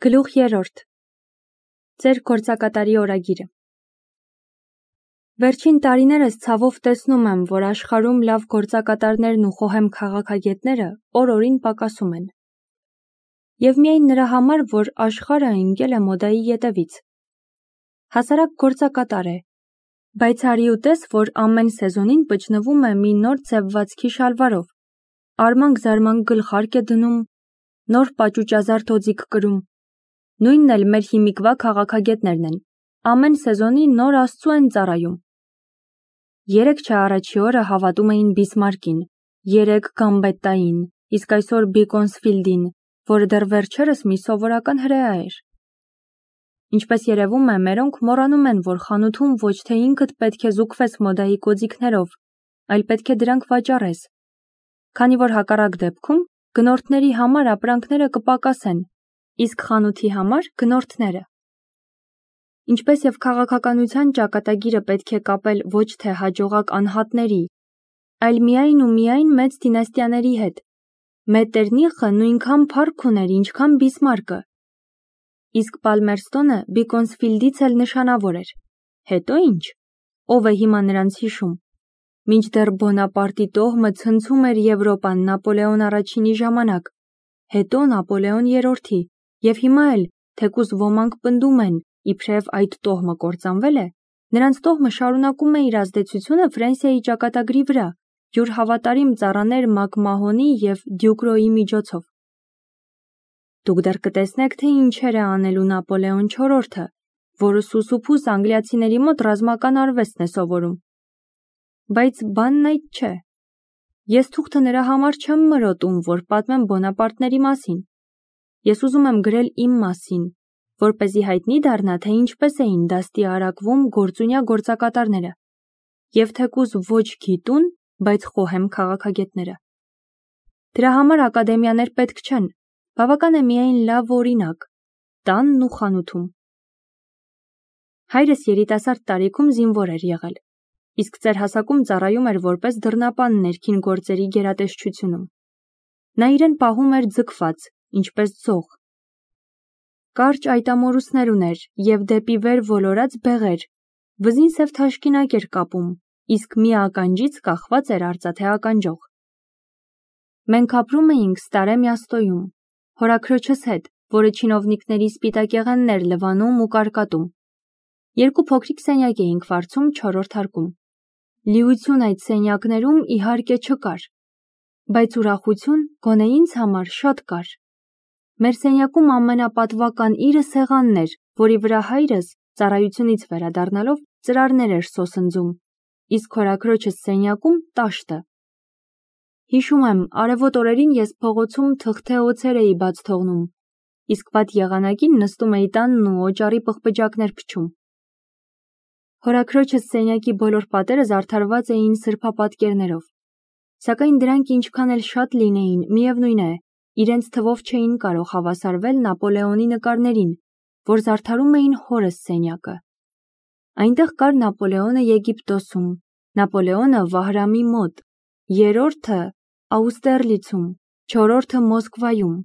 Գլուխ 3. Ձեր գործակատարի օրագիրը։ Վերջին տարիներս ցավով տեսնում եմ, որ աշխարհում լավ գործակատարներն ու խոհեմ քաղաքագետները օր-օրին պակասում են։ Եվ միայն նրա համար, որ աշխարհը ընկել է մոդայի ետևից։ Հասարակ գործակատար է, բայց արի ու տես, որ ամեն սեզոնին բջնվում է մի նոր ձևվածքի շալվարով, արմանք-զարմանք գլխարկ է դնում, նոր պաճուճազարդ օձիք կրում։ Նույնն էլ մեր հիմիկվա քաղաքագետներն են, ամեն սեզոնի նոր աստծու են ծառայում։ Երեկ չէ առաջի օրը հավատում էին Բիսմարկին, երեկ Գամբետտային, իսկ այսօր Բիկոնսֆիլդին, որը դեռ վերջերս մի սովորական հրեա էր։ Ինչպես երևում է, մերոնք մոռանում են, որ խանութում ոչ թե ինքդ պետք է զուգվես մոդայի կոծիկներով, այլ պետք է դրանք վաճառես, քանի որ հակառակ դեպքում գնորդների համար ապրանքները կպակասեն, իսկ խանութի համար գնորդները։ Ինչպես եւ քաղաքականության ճակատագիրը պետք է կապել ոչ թե հաջողակ անհատների, այլ միայն ու միայն մեծ դինաստիաների հետ։ Մետերնիխը նույնքան փառք ուներ, ինչքան Բիսմարկը։ Իսկ Պալմերստոնը Բիկոնսֆիլդից էլ նշանավոր էր։ Հետո ինչ։ Ով է հիմա նրանց հիշում։ Մինչդեռ Բոնապարտի տոհմը ցնցում էր Եվրոպան Նապոլեոն առաջինի ժամանակ, հետո Նապոլեոն երրորդի, եւ հիմա էլ, թեկուզ ոմանք պնդում են, իբրև այդ տոհմը կործանվել է, նրանց տոհմը շարունակում է իր ազդեցությունը Ֆրանսիայի ճակատագրի վրա, յուր հավատարիմ ծառաներ Մակմահոնի եւ Դյուկրոյի միջոցով։ Դուք դեռ կտեսնեք, թե ինչեր է անելու Նապոլեոն IV-ը, որը սուսուփուս անգլիացիների մոտ ռազմական արվեստն է սովորում։ Բայց բանն այդ չէ։ Ես թուղթը նրա համար չեմ մրոտում, որ պատմեմ Բոնապարտների մասին։ Ես ուզում եմ գրել իմ մասին, որպեսզի հայտնի դառնա, թե ինչպես էին դաստի արակվում գործունյա գործակատարները, եւ թեկուզ ոչ գիտուն, բայց խոհեմ քաղաքագետները։ Դրա համար ակադեմիաներ պետք չեն, բավական է միայն լավ օրինակ, տանն ու խանութում։ Հայրս երիտասարդ տարիքում զինվոր էր եղել, իսկ ծեր հասակում ծառայում էր որպես դռնապան ներքին գործերի գերատեսչությունում։ Նա իրեն պահում էր ձգված, ինչպես ձող։ Կարճ այտամորուսներ ուներ եւ դեպի վեր ոլորած բեղեր, վզին սև թաշկինակ էր կապում, իսկ մի ականջից կախված էր արծաթե ականջող։ Մենք ապրում էինք Ստարե Միաստոյում, հորաքրոջս հետ, որը չինովնիկների սպիտակեղենն էր լվանում ու կարկատում։ Երկու փոքրիկ սենյակ էինք վարձում 4-րդ հարկում։ Լիություն այդ սենյակներում իհարկե չկար, բայց ուրախություն գոնե ինձ համար շատ կար։ Մեր սենյակում ամենապատվական իրը սեղանն էր, որի վրա հայրս, ծառայությունից վերադառնալով, ծրարներ էր սոսնձում, իսկ հորաքրոջս սենյակում տաշտը։ Հիշում եմ, արևոտ օրերին ես փողոցում թղթե օձեր էի բաց թողնում, իսկ վատ եղանակին նստում էի տանն ու օճառի պղպջակներ փչում։ Հորաքրոջս սենյակի բոլոր պատերը զարդարված էին սրբապատկերներով, սակայն դրանք ինչքան էլ շատ լինեին, միևնույն է, իրենց թվով չէին կարող հավասարվել Նապոլեոնի նկարներին, որ զարդարում էին հորս սենյակը։ Այնտեղ կար Նապոլեոնը Եգիպտոսում, Նապոլեոնը Վահրամի մոտ, երրորդը Աուստերլիցում, չորրորդը Մոսկվայում,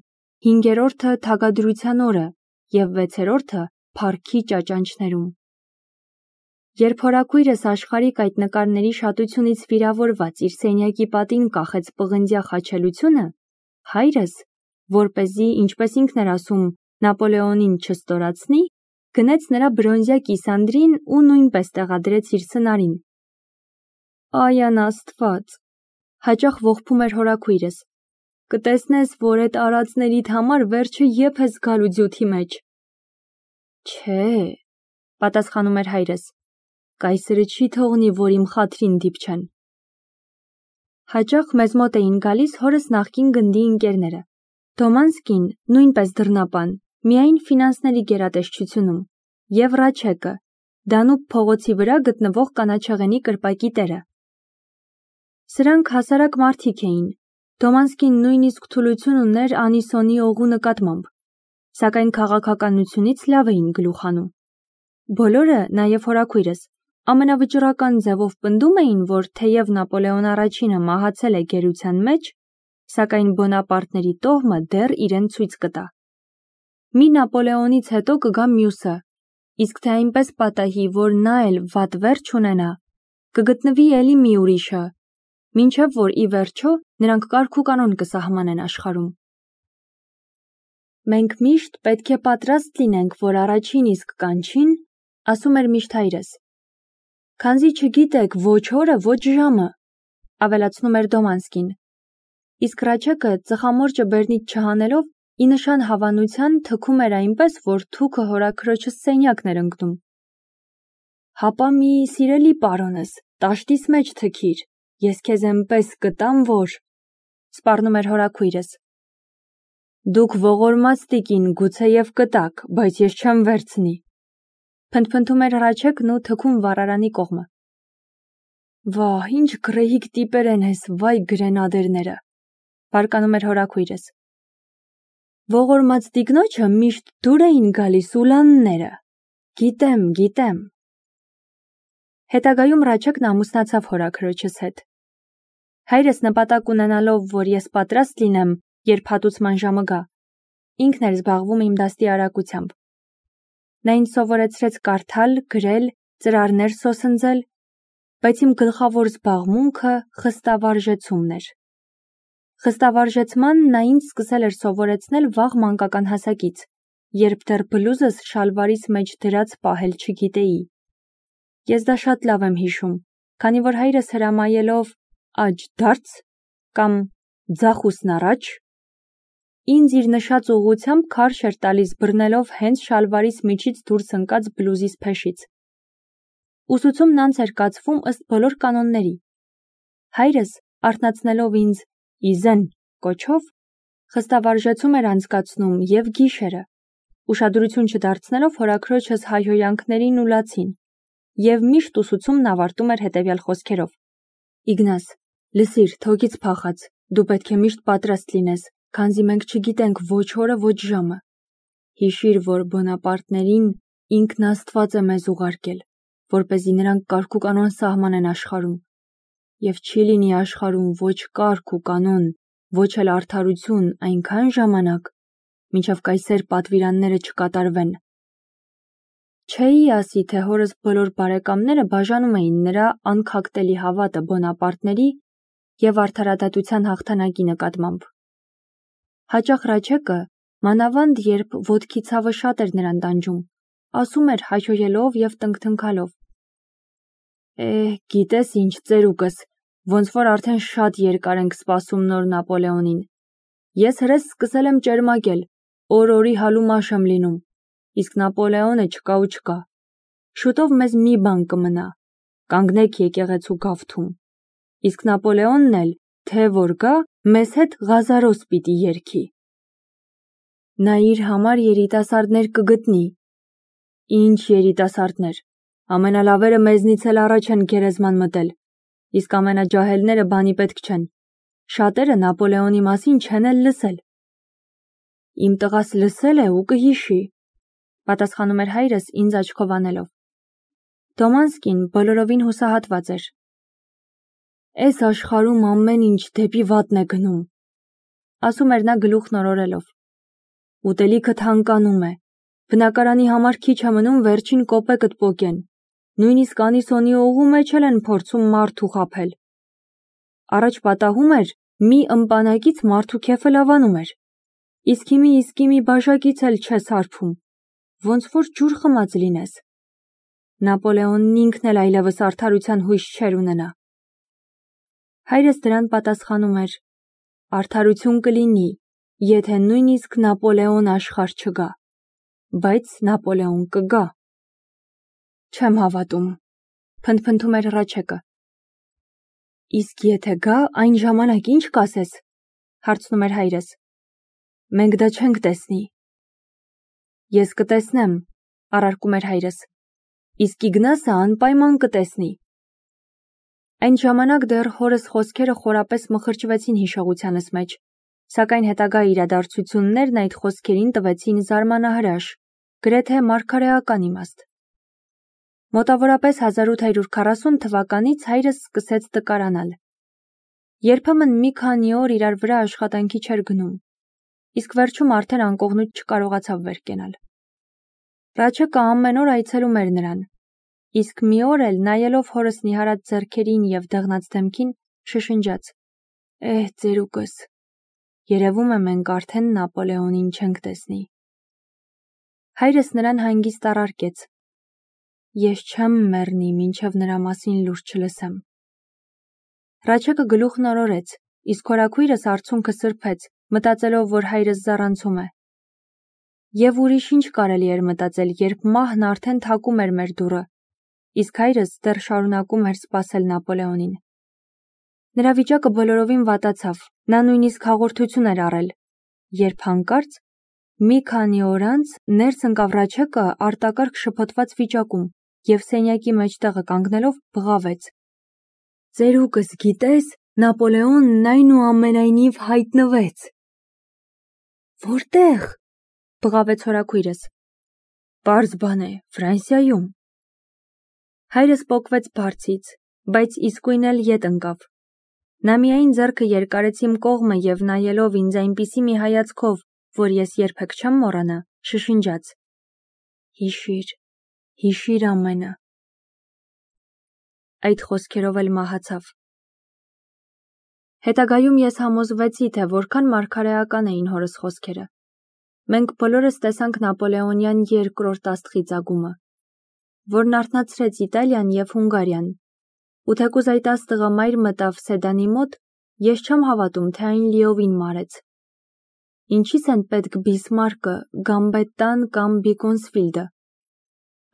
հինգերորդը Թագադրության օրը եւ վեցերորդը Փառքի ճաճանճներում։ Երբ հորաքույրս աշխարհիկ այդ նկարների շատությունից վիրավորված իր սենյակի պատին կախեց պղնձյա խաչելությունը, հայրս, որպեսզի, ինչպես ինքն էր ասում, Նապոլեոնին չստորացնի, գնեց նրա բրոնզյա կիսանդրին ու նույնպես տեղադրեց իր սնարին։ Այան Աստված, հաճախ ողբում էր հորաքույրս։ Կտեսնես, որ այդ արածներիդ համար վերջը եփ ես գալու ձյութի մեջ։ Չէ, պատասխանում էր հայրս, կայսրը չի թողնի, որ իմ խաթրին դիպչեն։ Հաճախ մեզ մոտ էին գալիս հորս նախկին գնդի ընկերները։ Դոմանսկին, նույնպես դռնապան, միայն ֆինանսների գերատեսչությունում, եւ Ռաչեկը, Դանուբ փողոցի վրա գտնվող կանաչեղենի կրպակի տերը։ Սրանք հասարակ մարդիկ էին, Դոմանսկին նույնիսկ թուլություն ուներ Անիսոնի օղու նկատմամբ, սակայն քաղաքականությունից լավ էին գլուխ հանում։ Բոլորը, նաեւ հորաքույրս, ամենավճռական ձևով պնդում էին, որ թեև Նապոլեոն առաջինը մահացել է գերության մեջ, սակայն Բոնապարտների տոհմը դեռ իրեն ցույց կտա։ մի Նապոլեոնից հետո կգա մյուսը, իսկ թե այնպես պատահի, որ նա էլ վատ վերջ ունենա, կգտնվի էլի մի ուրիշը, մինչև որ ի վերջո նրանք կարգ ու կանոն կսահմանեն աշխարհում։ Մենք միշտ պետք է պատրաստ լինենք, որ առաջին իսկ կանչին, ասում էր միշտ հայրս։ Քանզի չգիտեք ոչ օրը, ոչ ժամը, ավելացնում էր Դոմանսկին։ Իսկ Ռաչեկը ծխամորճը բեռնից չհանելով ի նշան հավանության թքում էր այնպես, որ թուքը հորաքրոջս սենյակն էր ընկնում։ Հապա մի սիրելի պարոնս, տաշտիս մեջ թքիր, ես քեզ էնպես կտամ, որ… սպառնում էր հորաքույրս։ Դուք ողորմած տիկին գուցեև կտաք, բայց ես չեմ վերցնի։ Փնթփնթում էր Ռաչեկն ու թքում վառարանի կողմը։ Վահ, ինչ գռեհիկ տիպեր են էս, վայ գրենադերները, բարկանում էր հորաքույրս։ Ողորմած տիկնոջը միշտ դուր էին գալիս ուլանները։ Գիտեմ։ Հետագայում Ռաչեկն ամուսնացավ հորաքրոջս հետ։ Հայրս նպատակ ունենալով, որ ես պատրաստ լինեմ, երբ հատուցման ժամը գա, ինքն էր զբաղվում իմ դաստի արագությամբ։ Նա ինձ սովորեցրեց կարդալ, գրել, ծրարներ սոսնձել, բայց իմ գլխավոր զբաղմունքը խստավարժեցումն էր։ Խստավարժեցման նա ինձ սկսել էր սովորեցնել վաղ մանկական հասակից, երբ դեռ բլուզս շալվարիս մեջ դրած պահել չգիտեի։ Ես դա շատ լավ եմ հիշում, քանի որ հայրս հրամայելով «աջ դարձ» կամ «ձախուսն առաջ» ինձ իր նշած ուղղությամբ քարշ էր տալիս բռնելով հենց շալվարիս միջից դուրս ընկած բլուզիս փեշից։ Ուսուցումն անց էր կացվում ըստ բոլոր կանոնների։ Հայրս, արթնացնելով ինձ «իզեն» կոչով, խստավարժեցում էր անցկացնում և գիշերը, ուշադրություն չդարձնելով հորաքրոջս հայհոյանքներին ու լացին, և միշտ ուսուցումն ավարտում էր հետևյալ խոսքերով. Իգնաս, լսիր, թոքից փախած, դու պետք է միշտ պատրաստ լինես, քանզի մենք չգիտենք ոչ օրը, ոչ ժամը։ Հիշիր, որ Բոնապարտներին ինքն Աստված է մեզ ուղարկել, որպեսզի նրանք կարգ ու կանոն սահմանեն աշխարհում, և չի լինի աշխարհում ոչ կարգ ու կանոն, ոչ էլ արդարություն այնքան ժամանակ, մինչև կայսեր պատվիրանները չկատարվեն։ Չէի ասի, թե հորս բոլոր բարեկամները բաժանում էին նրա անքակտելի հավատը Բոնապարտների և արդարադատության հաղթանակի նկատմամբ։ Հաճախ Ռաչեկը, մանավանդ երբ ոտքի ցավը շատ էր նրան տանջում, ասում էր հայհոյելով և տնքթնքալով. գիտես ինչ, ծերուկս, ոնց որ արդեն շատ երկար ենք սպասում նոր Նապոլեոնին։ Ես հրես սկսել եմ ճերմակել, օր-օրի հալումաշ եմ լինում, իսկ Նապոլեոնը չկա ու չկա։ Շուտով մեզ մի բան կմնա, կանգնեք եկեղեցու գավթում, իսկ Նապոլեոնն էլ, թե որ գա, մեզ հետ Ղազարոս պիտի երգի։ Նա իր համար երիտասարդներ կգտնի։ Ինչ երիտասարդներ, ամենալավերը մեզնից էլ առաջ են գերեզման մտել, իսկ ամենաջահելները բանի պետք չեն։ Շատերը Նապոլեոնի մասին չեն էլ լսել։ Իմ տղաս լսել է ու կհիշի, պատասխանում էր հայրս ինձ աչքով անելով։ Դոմանսկին բոլորովին հուսահատված էր։ Էս աշխարհում ամեն ինչ դեպի վատն է գնում, ասում էր նա գլուխն օրորելով։ Ուտելիքը թանկանում է, բնակարանի համար քիչ է մնում վերջին կոպեկդ պոկեն, նույնիսկ անիսոնի օղու մեջ էլ են փորձում մարդու խաբել։ Առաջ պատահում էր, մի ըմպանակից մարդու քեֆը լավանում էր, իսկ հիմի բաժակից էլ չես հարբում, ոնց որ ջուր խմած լինես։ Նապոլեոնն ինքն էլ այլևս արդարության հույս չէր ունենա։ Հայրս դրան պատասխանում էր. արդարություն կլինի, եթե նույնիսկ Նապոլեոն աշխարհ չգա, բայց Նապոլեոն կգա։ Չեմ հավատում, փնթփնթում էր Ռաչեկը։ Իսկ եթե գա, այն ժամանակ ինչ կասես, հարցնում էր հայրս։ Մենք դա չենք տեսնի։ Ես կտեսնեմ, առարկում էր հայրս, իսկ Իգնասը անպայման կտեսնի։ Այն ժամանակ դեռ հորս խոսքերը խորապես մխրճվեցին հիշողությանս մեջ, սակայն հետագա իրադարձություններն այդ խոսքերին տվեցին զարմանահրաշ, գրեթե մարգարեական իմաստ։ Մոտավորապես 1840 թվականից հայրս սկսեց տկարանալ։ Երբեմն մի քանի օր իրար վրա աշխատանքի չէր գնում, իսկ վերջում արդեն անկողնույթ չկարողացավ վեր կենալ։ Ռաչեկը ամեն օր այցելում էր նրան, իսկ մի օր էլ նայելով հորս նիհարած ձեռքերին և դեղնած դեմքին, շշնջաց. ծերուկս, երևում է մենք արդեն Նապոլեոնին չենք տեսնի։ Հայրս նրան հանգիստ առարկեց. ես չեմ մեռնի, մինչև նրա մասին լուրջ չլսեմ։ Ռաչեկը գլուխն օրորեց, իսկ հորաքույրս արցունքը սրբեց, մտածելով, որ հայրս զառանցում է։ Եվ ուրիշ ինչ կարելի էր մտածել, երբ մահն արդեն թակում էր մեր դուռը, իսկ հայրս դեռ շարունակում էր սպասել Նապոլեոնին։ Նրա վիճակը բոլորովին վատացավ, նա նույնիսկ հաղորդություն էր առել, երբ հանկարծ մի քանի օր անց ներս ընկավ Ռաչեկը արտակարգ շփոթված վիճակում և սենյակի մեջտեղը կանգնելով բղավեց. ծերուկս գիտես, Նապոլեոնն այնուամենայնիվ հայտնվեց։ Որտե՞ղ, բղավեց հորաքույրս։ Պարզ բան է, Ֆրանսիայում։ Հայրս պոկվեց բարձից, բայց իսկույն էլ ետ ընկավ։ Նա միայն ձեռքը երկարեց իմ կողմը և նայելով ինձ այնպիսի մի հայացքով, որ ես երբեք չեմ մոռանա, շշնջաց. հիշիր, հիշիր ամենը։ Այդ խոսքերով էլ մահացավ։ Հետագայում ես համոզվեցի, թե որքան մարգարեական էին հորս խոսքերը։ Մենք բոլորս տեսանք Նապոլեոնյան երկրորդ աստղի ծագումը, որն արթնացրեց Իտալիան և Հունգարիան, ու թեկուզ այդ աստղը մայր մտավ Սեդանի մոտ, ես չեմ հավատում, թե այն լիովին մարեց։ Ինչի՞ս են պետք Բիսմարկը, Գամբետտան կամ Բիկոնսֆիլդը։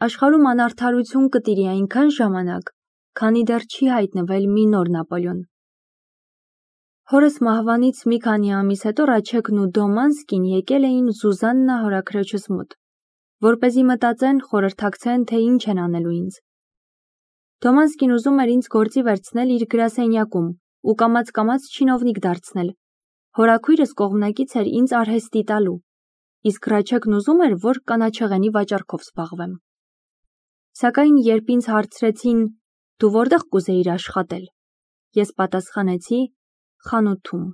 Աշխարհում անարդարություն կտիրի այնքան ժամանակ, քանի դեռ չի հայտնվել մի նոր Նապոլեոն։ Հորս մահվանից մի քանի ամիս հետո Ռաչեկն ու Դոմանսկին եկել էին Զուզաննա հորաքրոջս մոտ, որպեսզի մտածեն, խորհրդակցեն, թե ինչ են անելու ինձ։ Դոմանսկին ուզում էր ինձ գործի վերցնել իր գրասենյակում ու կամաց-կամաց չինովնիկ դարձնել։ Հորաքույրս կողմնակից էր ինձ արհեստի տալու, իսկ Ռաչեկն ուզում էր, որ կանաչեղենի վաճառքով զբաղվեմ։ Սակայն երբ ինձ հարցրեցին. դու որտեղ կուզեիր աշխատել, ես պատասխանեցի. խանութում։